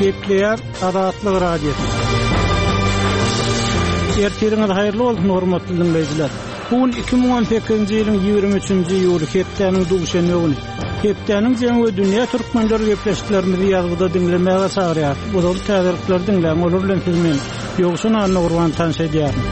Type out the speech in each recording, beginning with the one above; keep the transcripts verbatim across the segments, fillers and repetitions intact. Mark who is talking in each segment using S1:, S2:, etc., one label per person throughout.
S1: Gepleýär Azatlyk Radiosy. Ertiriňiz haýyrly bolsun, hormatly dinleýjiler. Bu gün iki müň on sekizinji ýylyň ýigrimi üçünji iýuly, hepdäniň duşenbe güni. Hepdäniň jemi we dünýä türkmenleri gepleşiklerimizi ýazgyda diňlemäge çagyrýar. Ozal täzelikleri diňläň, olar bilen siz men Ýowşan Annagurban tanyş edýärin.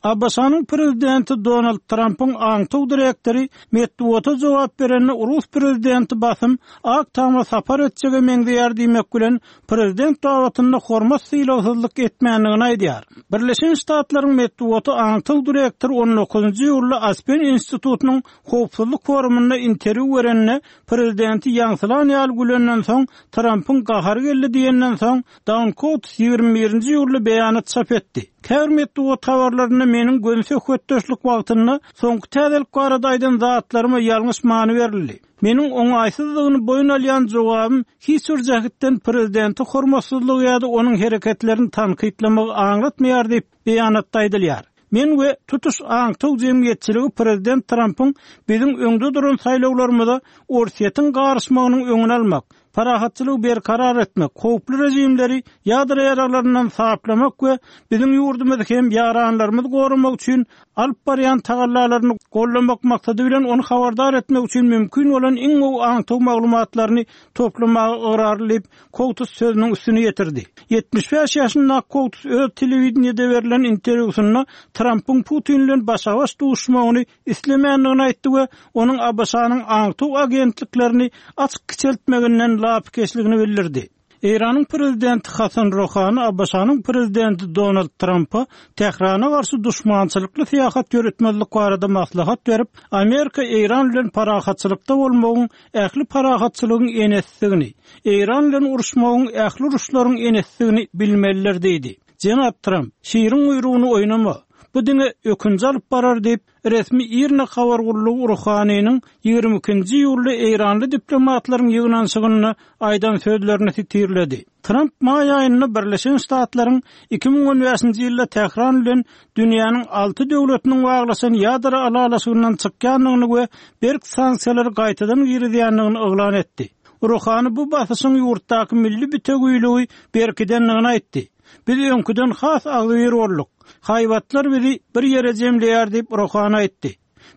S1: A B Ş-nyň prezidenti Donald Trampyň aňtaw direktory metbugata jogap berende Rus prezidenti basym Ak Tama sapar etjege meňzeýär diýmek bilen prezident babatynda hormat sylagsyzlyk etmändigini aýdýar. Birleşen Ştatlaryň metbugaty aňtaw direktory on dokuzynjy iýulda Aspen institutynyň howpsuzlyk forumynda interwýu berende prezidenti ýaňsylan ýaly gülenden soň Trampyň gahary geldi diýenden soň Dan Coats ýigrimi birinji iýulda beýanat çap etdi. Käbir metbugat habarlarynda meniň göni söhbetdeşlik wagtynda soňky täzelik barada aýdan zatlaryma ýalňyş many berildi. Meniň oňaýsyzlygyny boýun alýan jogabym hiç bir jähetden prezidenti hormatsyzlygy ýa-da onuň hereketlerini tankytlamagy aňlatmaýar diýip beýanatda aýdylýar. Men we tutuş aňtaw jemgyýetçiligi prezident Trampyň biziň öňde duran saýlawlarymyza Orsýetiň garyşmagynyň öňüni almak, parahatçylygy berkarar etmek, howply rejimleri ýadro ýaraglaryndan saplamak we biziň ýurdumyzy hem ýaranlarymyzy goramak üçin alyp barýan tagallalaryny gollamak maksady bilen ony habardar etmek üçin mümkin bolan iň gowy aňtaw maglumatlaryny toplamaga ygrarly diýip Coats sözüniň üstüni ýetirdi. Ýetmiş bäş ýaşyndaky Coats öz telewideniýede berlen interwýusynda Trampyň Putin bilen başa-baş duşmagyny islemändigini aýtdy we onuň A B Ş-nyň aňtaw agentliklerini açyk kiçeltmeginden lapykeçligini bildirdi. Eýranyň prezidenti Hasan Rohani A B Ş-nyň prezidenti Donald Trumpa Tährana garşy duşmançylykly syýahat ýöretmezlik barada maslahat berip, Amerika Eýran bilen parahatçylykda bolmagyň ähli parahatçylygyň enesdigini, Eýran bilen uruşmagyň ähli uruşlaryň enesdigini bilmelidir diýdi. Jenap Trump, şiriň guýrugyny oýnama, bu diňe ökünji alyp barar diýip, resmi IRNA habar gullugy Ruhanynyň ýigrimi ikinji iýulda Eýranly diplomatlaryň ýygnanyşygynda aýdan sözlerini sitirledi. Trump maý aýynda Birleşen Ştatlaryň iki müň on bäşinji ýylda Tähran bilen dünýäniň alty döwletiniň baglaşan ýadro ylalaşygyndan çykýandygyny we berk sanksiýalary gaýtadan girizýändigini yglan etdi. Ruhany bu basyşyň ýurtdaky milli bütewiyligi berkidendigini aýtdy. Biz öňküden has agzybir bolduk. Haýbatlar bizi bir ýere jemleýär diýip Ruhany aýtdy.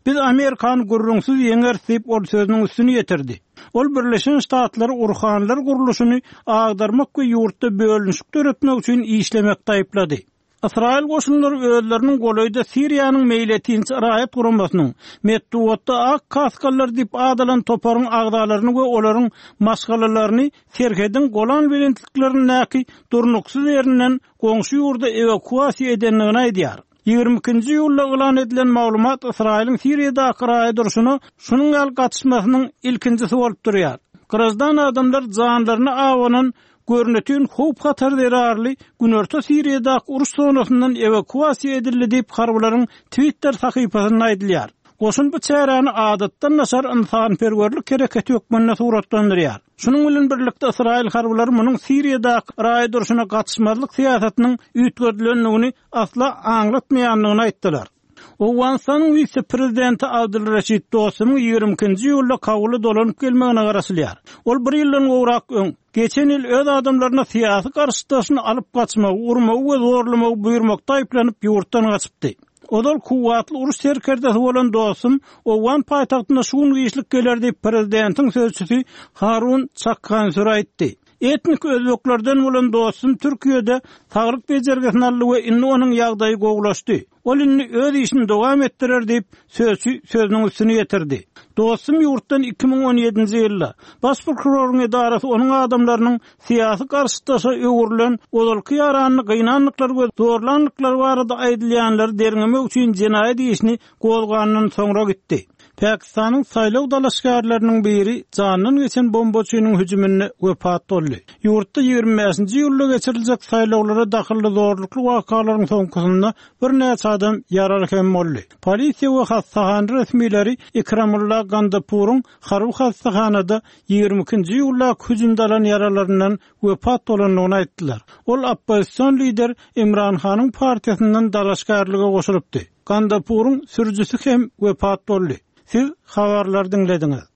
S1: Biz Amerikan gürrüňsiz ýeňeris diýip ol sözüniň üstüni ýetirdi. Ol Birleşen Ştatlary Urhanlar gurluşyny agdarmak we ýurtda bölünişik döretmek üçin işlemek taýyplady. Ysraýyl goşunlary özleriniň golaýda Siriýanyň meýletinçi raýat guramasynyň metbugatda ak kaskallar diýip adalan toparyň agzalaryny we olaryň maşgalalaryny serhediň Golan belentliklerindäki durnuksyz ýerinden goňşy ýurda ewakuasiýa edendigini aýdýar. Ýigrimi ikinji iýulda yglan edilen maglumat Ysraýylyň Siriýadaky raýat urşuna şunuň ýaly gatyşmasynyň ilkinjisi bolup durýar. Grajdan adamlar janlaryny awanan görnütün howp hatar zerarly Günorta Siriýadaky uruş zonasyndan ewakuasiýa edildi diýip harbylaryň Twitter sahypasynda aýdylýar. Goşun bu çäräni adatdan daşary ynsanperwerlik hereketi hökmünde suratlandyrýar. Şunuň bilen birlikde Ysraýyl harbylary munuň Siriýadaky raýat urşuna gatyşmazlyk syýasatynyň üýtgedilendigini asla aňlatmaýandygyny aýtdylar. Owganystanyň wise-prezidenti Abdulreşid Dostumyň ýigrimi ikinji iýulda Kabula dolanyp gelmegine garaşylýar. Ol bir ýyldan gowrak öň, geçen ýyl öz adamlaryna syýasy garşydaşyny alyp gaçmagy, urmagy we zorlamagy buýurmakda aýyplanyp ýurtdan gaçypdy. Ozal kuwwatly uruş serkerdesi bolan Dostum Owgan paýtagtynda şu gün işlik geler diýip prezidentiň sözçüsi Harun Çakhansur aýtdy. Etnik özbeklerden bolan Dostum Türkiýede saglyk bejergisini aldy we indi onuň ýagdaýy gowulaşdy. Ol indi öz işini dowam etdirer diýip sözçi sözüniň üstüni ýetirdi. Dostum ýurtdan iki müň on ýedinji ýylda baş prokuroryň edarasy onuň adamlarynyň syýasy garşydaşa öwrülen ozalky ýaranyny gynandyklary we zorlandyklary barada aýdylýanlary derňemek üçin jenaýat işini gozgandan soňra gitdi. Pakistanyň saýlaw dalaşgärleriniň biri jandan geçen bombaçynyň hüjüminde wepat boldy. Ýurtda ýigrimi bäşinji iýulda geçiriljek saýlawlara dahylly zorlukly wakalaryň soňkusynda birnäçe adam ýaraly hem boldy. Polisiýa we hassahana resmileri Ikramullah Gandapuryň harby hassahanada ýigrimi ikinji iýulda hüjümde alan ýaralaryndan wepat bolandygyny aýtdylar. Ol oppozision lider Imran Hanyň partiýasyndan dalaşgärlige goşulypdy. Gandapuryň sürüjisi hem wepat boldy. Siz habarlar diňlediňiz.